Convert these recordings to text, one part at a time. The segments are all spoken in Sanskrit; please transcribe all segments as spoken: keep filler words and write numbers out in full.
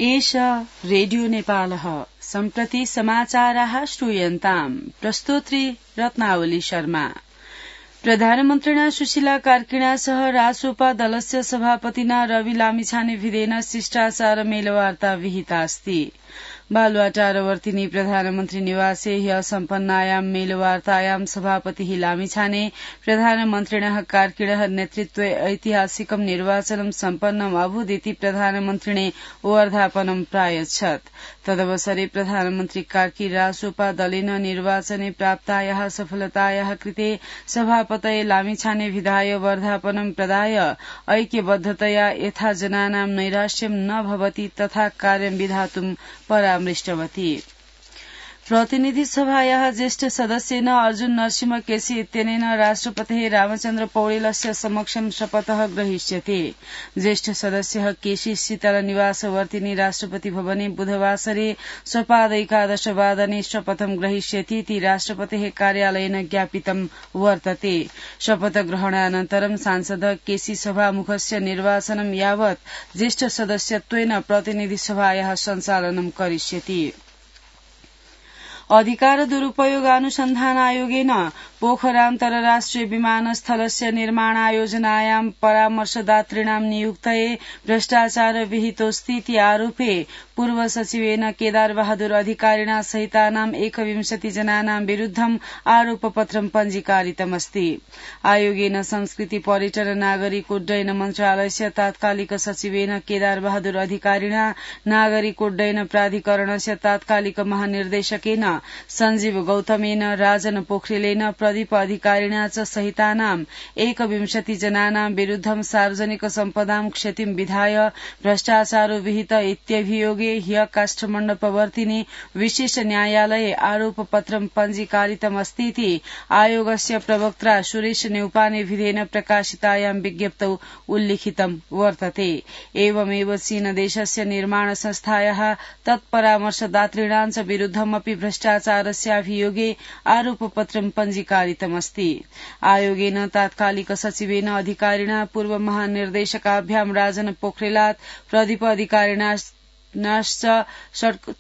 एष रेडियो नेपालः सम्प्रति समाचाराः श्रूयन्ताम् प्रस्तोत्री रत्नावली शर्मा। प्रधानमन्त्रिणा सुशीला कार्किणा सह रासोपा दलस्य सभापतिना रवि लामिछाने विधेन शिष्टाचार मेलवार्ता विहितास्ति। बालुवाटारवर्तिनी प्रधानमन्त्री निवासे ह्य सम्पन्नायां मेलवार्तायां सभापतिः लामिछाने प्रधानमन्त्रिणः कार्किणः नेतृत्वे ऐतिहासिकं निर्वाचनं सम्पन्नम् अभूदिति प्रधानमन्त्रिणे वर्धापनं प्रायच्छत्। तदवसरे प्रधानमन्त्री कार्की रासोपा दलेन निर्वाचने प्राप्तायाः सफलतायाः कृते सभापतये लामिछाने विधाय वर्धापनं प्रदाय ऐक्यबद्धतया यथा जनानां नैराश्यं न भवति तथा कार्यं विधातुं परामृष्टवती। प्रतिनिधि सभायाः ज्येष्ठ सदस्येन अर्जुन नरसिंह केसी इत्यनेन राष्ट्रपतिः रामचन्द्र पौडेलस्य समक्षं शपथः ग्रहीष्यते। ज्येष्ठ सदस्यः केसी शीतलनिवासवर्तिनी राष्ट्रपति भवने बुधवासरे सपादैकादशवादने शपथं ग्रहीष्यति इति राष्ट्रपतेः कार्यालयेन ज्ञापितं वर्तते। शपथग्रहणानन्तरं सांसदः केसी सभामुखस्य निर्वाचनं यावत् ज्येष्ठ सदस्यत्वेन प्रतिनिधि सभायाः सञ्चालनं करिष्यति। अधिकार दुरूपयोग अनुसन्धान आयोगेन पोखरा अन्तर्राष्ट्रिय विमानस्थलस्य निर्माणायोजनायां परामर्शदातॄणां नियुक्तये भ्रष्टाचार विहितोऽस्ति इति आरोपे पूर्व सचिवेन केदार बहादुर अधिकारिणा सहितानां एकविंशति जनानां विरूद्धं आरोपपत्रं पञ्जीकारितमस्ति। आयोगेन संस्कृति पर्यटन नागरिक उड्डयन मन्त्रालयस्य तात्कालिक सचिवेन केदार बहादुर अधिकारिणा नागरिक उड्डयन प्राधिकरणस्य तात्कालिक महानिर्देशकेन सञ्जीव गौतमेन राजन पोखरेलेन प्रदीप अधिकारिणा च सहितानां एकविंशति जनानां विरूद्धं सार्वजनिक सम्पदां क्षतिं विधाय भ्रष्टाचारो विहित इत्यभियोगे ह्य काष्ठमण्डपवर्तिनी विशेष न्यायालये आरोपपत्रं पञ्जीकारितमस्ति इति आयोगस्य प्रवक्त्रा सुरेश नेउपाने विधेन प्रकाशितायां विज्ञप्तौ उल्लिखितं वर्तते। एवमेव चीनदेशस्य निर्माण संस्थायाः तत्परामर्शदातॄणां च विरूद्धमपि भ्रष्टाचारस्याभियोगे आरोपपत्रं पञ्जीकारितमस्ति। आयोगेन तात्कालिक सचिवेन अधिकारिणा पूर्व महानिर्देशकाभ्यां राजन पोखरेलात् प्रदीप अधिकारिणा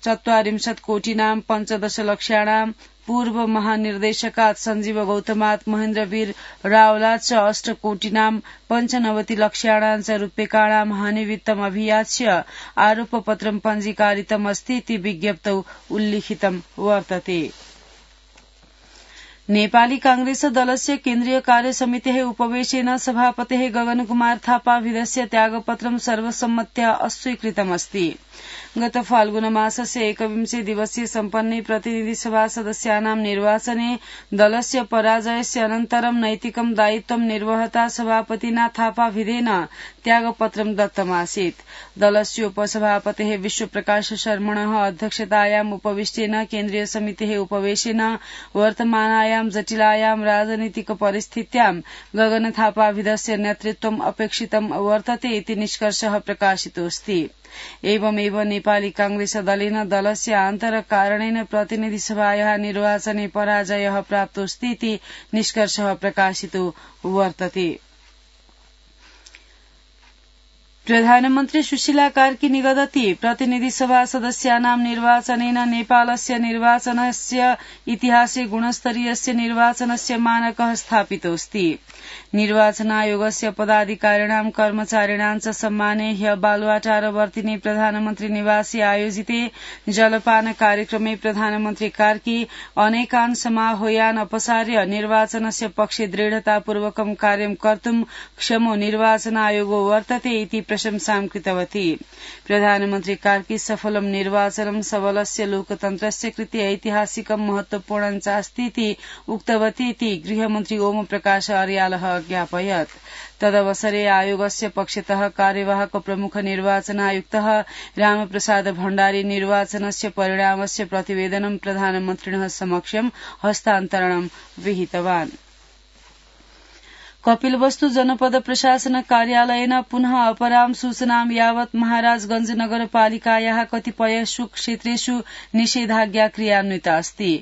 चत्वारिंशत् कोटिनां पञ्चदश लक्ष्याणां पूर्व महानिर्देशकात् सञ्जीव गौतमात् महेन्द्रवीर रावलात् च अष्ट कोटिनां पञ्चनवति लक्ष्याणां च रूप्यकाणां हानिवित्तम् अभियाच्य आरोपपत्रं पञ्जीकारितमस्ति इति विज्ञप्तौ उल्लिखितं वर्तते। नेपाली कांग्रेस दलस्य केन्द्रीय कार्यसमितेः उपवेशेन सभापतेः गगन कुमार थापाविधस्य त्यागपत्रं सर्वसम्मत्या अस्वीकृतमस्ति। गत फाल्गुन मासस्य एकविंशे दिवसीय सम्पन्ने प्रतिनिधि सभा सदस्यानां निर्वाचने दलस्य पराजयस्य अनन्तरं नैतिकं दायित्वं निर्वहता सभापतिना थापाविधेन त्यागपत्रं दत्तमासीत्। दलस्य उपसभापतेः विश्वप्रकाश शर्मणः अध्यक्षतायाम् उपविष्टेन केन्द्रीय समितेः उपवेशेन वर्तमानायां जटिलायां राजनीतिक परिस्थित्यां गगन थापाविधस्य नेतृत्वम् अपेक्षितं वर्तते इति निष्कर्षः प्रकाशितोऽस्ति। एवमेव नेपाली कांग्रेस दलेन दलस्य आन्तरकारणेन प्रतिनिधि सभायाः निर्वाचने पराजयः प्राप्तोऽस्ति इति निष्कर्षः प्रकाशितो वर्तते। प्रधानमन्त्री सुशीला कार्की निगदति प्रतिनिधि सभा सदस्यानां निर्वाचनेन नेपालस्य निर्वाचनस्य इतिहासे गुणस्तरीयस्य निर्वाचनस्य मानकः स्थापितोऽस्ति। निर्वाचन आयोगस्य पदाधिकारिणां कर्मचारिणां च सम्माने ह्य बालुवाटारवर्तिनी प्रधानमन्त्री निवासे आयोजिते जलपान कार्यक्रमे प्रधानमन्त्री कार्की अनेकान् समाह्वयान् अपसार्य निर्वाचनस्य पक्षे दृढतापूर्वकं कार्यं कर्तुं क्षमो निर्वाचन आयोगो वर्तते इति प्रशंसां कृतवती। प्रधानमन्त्री कार्की सफलं निर्वाचनं सबलस्य लोकतन्त्रस्य कृते ऐतिहासिकं महत्वपूर्णं चास्ति इति उक्तवती इति गृहमन्त्री ओम प्रकाश अर्यालः अज्ञापयत्। तदवसरे आयोगस्य पक्षतः कार्यवाहक प्रमुख निर्वाचन आयुक्तः रामप्रसाद भण्डारी निर्वाचनस्य परिणामस्य प्रतिवेदनं प्रधानमन्त्रिणः समक्षं हस्तान्तरणं विहितवान्। कपिलवस्तु जनपद प्रशासन कार्यालयेन पुनः अपराम सूचनां यावत् महाराजगंज नगरपालिकायाः कतिपयेषु क्षेत्रेषु निषेधाज्ञा क्रियान्विता अस्ति।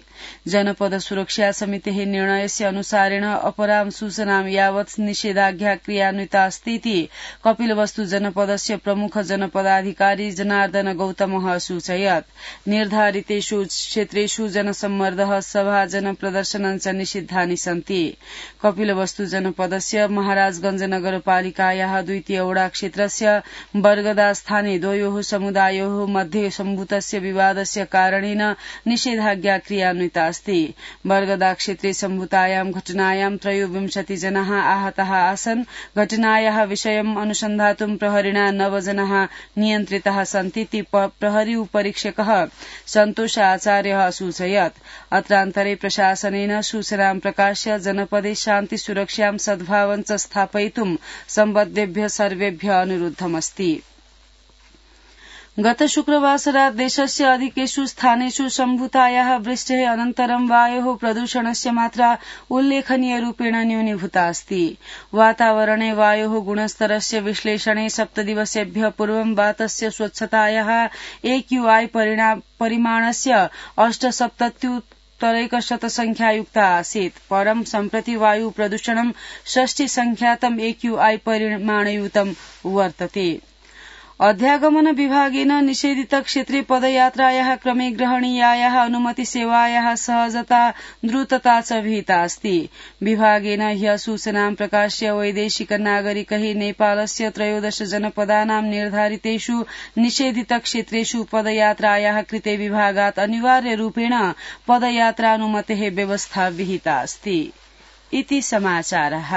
जनपद सुरक्षा समितेः निर्णयस्य अनुसारेण अपराम सूचनां यावत् निषेधाज्ञा क्रियान्विता अस्ति इति कपिलवस्तु जनपदस्य प्रमुख जनपदाधिकारी जनार्दन गौतमः सूचयत्। निर्धारितेषु क्षेत्रेषु जनसम्मर्दः सभा जनप्रदर्शनं च निषिद्धानि सन्ति। कपिलवस्तु जनपद सदस्य महाराजगंज नगरपालिकायाः द्वितीय वडा क्षेत्रस्य बर्गदा स्थाने द्वयोः समुदायोः मध्ये सम्भूतस्य विवादस्य कारणेन निषेधाज्ञा क्रियान्विता अस्ति। बर्गदा क्षेत्रे सम्भूतायां घटनायां त्रयोविंशति जनाः आहताः आसन्। घटनायाः विषयम् अनुसन्धातुं प्रहरिणा नव जनाः नियन्त्रिताः सन्ति इति प्रहरी उपरीक्षकः सन्तोष आचार्यः सूचयत्। अत्रान्तरे प्रशासनेन सूचनां प्रकाश्य जनपदे शान्ति सुरक्षां सद्भावं च स्थापयितुं सम्बद्धेभ्यः सर्वेभ्यः अनुरोधमस्ति। गत शुक्रवासरात् देशस्य अधिकेषु स्थानेषु सम्भूतायाः वृष्टेः अनन्तरं वायोः प्रदूषणस्य मात्रा उल्लेखनीय रूपेण न्यूनीभूता अस्ति। वातावरणे वायोः गुणस्तरस्य विश्लेषणे सप्तदिवसेभ्यः पूर्वं वातस्य स्वच्छतायाः एक्यूआई परिमाणस्य अष्टसप्तत्युत्तर तरैकशतसंख्यायुक्ता आसीत्। परं सम्प्रति वायु प्रदूषणं षष्टि संख्यातम् एक्यूआई परिमाणयुतम् वर्तते। अध्यागमन विभागेन निषेधित क्षेत्रे पदयात्रायाः क्रमे ग्रहणीयायाः अनुमति सेवायाः सहजता द्रुतता च विहिता अस्ति। विभागेन ह्यः सूचनां प्रकाश्य वैदेशिक नागरिकैः नेपालस्य त्रयोदश जनपदानां निर्धारितेषु निषेधित क्षेत्रेषु पदयात्रायाः कृते विभागात् अनिवार्य रूपेण पदयात्रानुमतेः व्यवस्था विहिता अस्ति। इति समाचारः।